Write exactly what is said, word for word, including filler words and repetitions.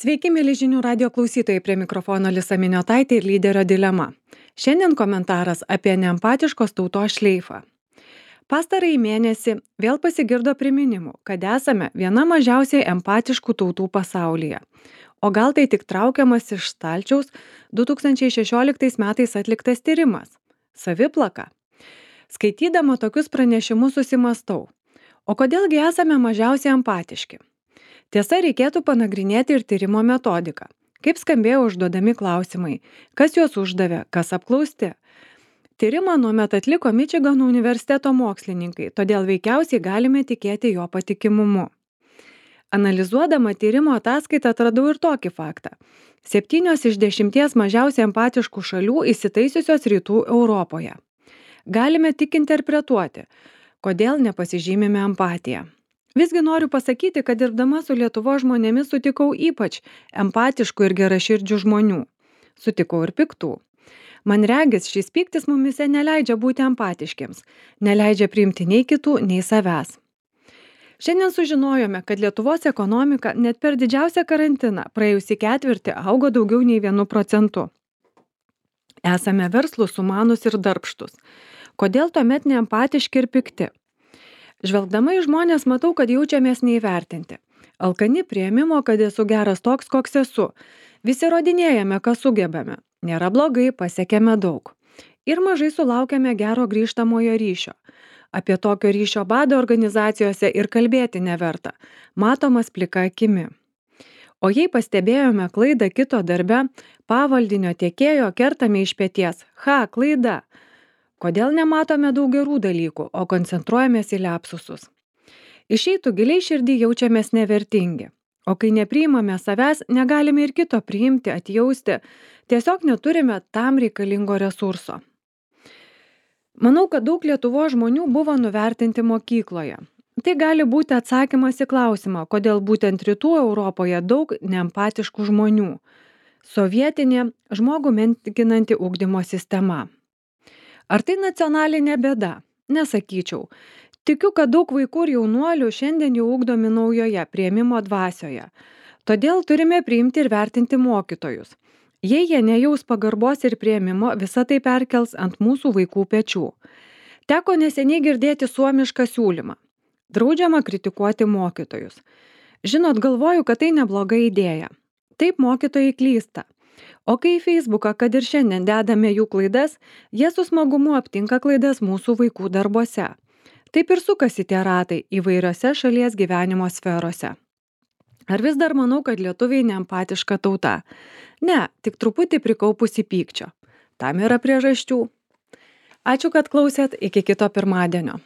Sveiki, mėly žinių radio klausytojai, prie mikrofono Lisa Miniotaitė ir lyderio dilema. Šiandien komentaras apie neempatiškos tautos šleifą. Pastarąjį mėnesį vėl pasigirdo priminimų, kad esame viena mažiausiai empatiškų tautų pasaulyje. O gal tai tik traukiamas iš stalčiaus du tūkstančiai šešioliktais metais atliktas tyrimas - saviplaka. Skaitydama tokius pranešimus susimastau, o kodėlgi esame mažiausiai empatiški? Tiesa, reikėtų panagrinėti ir tyrimo metodiką. Kaip skambėjo užduodami klausimai, kas juos uždavė, kas apklausti. Tyrimą nuomet atliko Mičigano universiteto mokslininkai, todėl veikiausiai galime tikėti jo patikimumu. Analizuodama tyrimo ataskaitą atradau ir tokį faktą. Septynios iš dešimties mažiausiai empatiškų šalių įsitaisiusios rytų Europoje. Galime tik interpretuoti, kodėl nepasižymime empatiją. Visgi noriu pasakyti, kad dirbdama su Lietuvos žmonėmis sutikau ypač empatiškų ir geraširdžių žmonių. Sutikau ir piktų. Man regis, šis pyktis mumise neleidžia būti empatiškiams, neleidžia priimti nei kitų, nei savęs. Šiandien sužinojome, kad Lietuvos ekonomika net per didžiausią karantiną praėjusį ketvirtį augo daugiau nei vienu procentu. Esame verslūs, sumanūs ir darbštus. Kodėl tuomet neempatiški ir pikti? Žvelgdama į žmonės matau, kad jaučiamės neįvertinti. Alkani priėmimo, kad esu geras toks, koks esu. Visi rodinėjame, ką sugebame. Nėra blogai, pasiekėme daug. Ir mažai sulaukėme gero grįžtamojo ryšio. Apie tokio ryšio badą organizacijose ir kalbėti neverta. Matomas plika akimi. O jei pastebėjome klaidą kito darbe, pavaldinio tiekėjo kertame iš peties. Ha, klaida. Kodėl nematome daug gerų dalykų, o koncentruojamės į liapsusus? Išeitų giliai širdį jaučiamės nevertingi. O kai nepriimame savęs, negalime ir kito priimti, atjausti. Tiesiog neturime tam reikalingo resurso. Manau, kad daug Lietuvos žmonių buvo nuvertinti mokykloje. Tai gali būti atsakymas į klausimą, kodėl būtent rytų Europoje daug neempatiškų žmonių. Sovietinė žmogų menkinanti ugdymo sistema. Ar tai nacionalinė bėda? Nesakyčiau. Tikiu, kad daug vaikų ir jaunuolių šiandien jau ugdomi naujoje priėmimo dvasioje. Todėl turime priimti ir vertinti mokytojus. Jei jie nejaus pagarbos ir priėmimo, visa tai perkels ant mūsų vaikų pečių. Teko neseniai girdėti suomišką siūlymą. Draudžiama kritikuoti mokytojus. Žinot, galvoju, kad tai nebloga idėja. Taip mokytojai klysta. O kai į Facebooką, kad ir šiandien dedame jų klaidas, jie su smagumu aptinka klaidas mūsų vaikų darbuose. Taip ir sukasi tie ratai įvairiose šalies gyvenimo sferose. Ar vis dar manau, kad lietuviai neempatiška tauta? Ne, tik truputį prikaupusi pykčio. Tam yra priežasčių. Ačiū, kad klausėt, iki kito pirmadienio.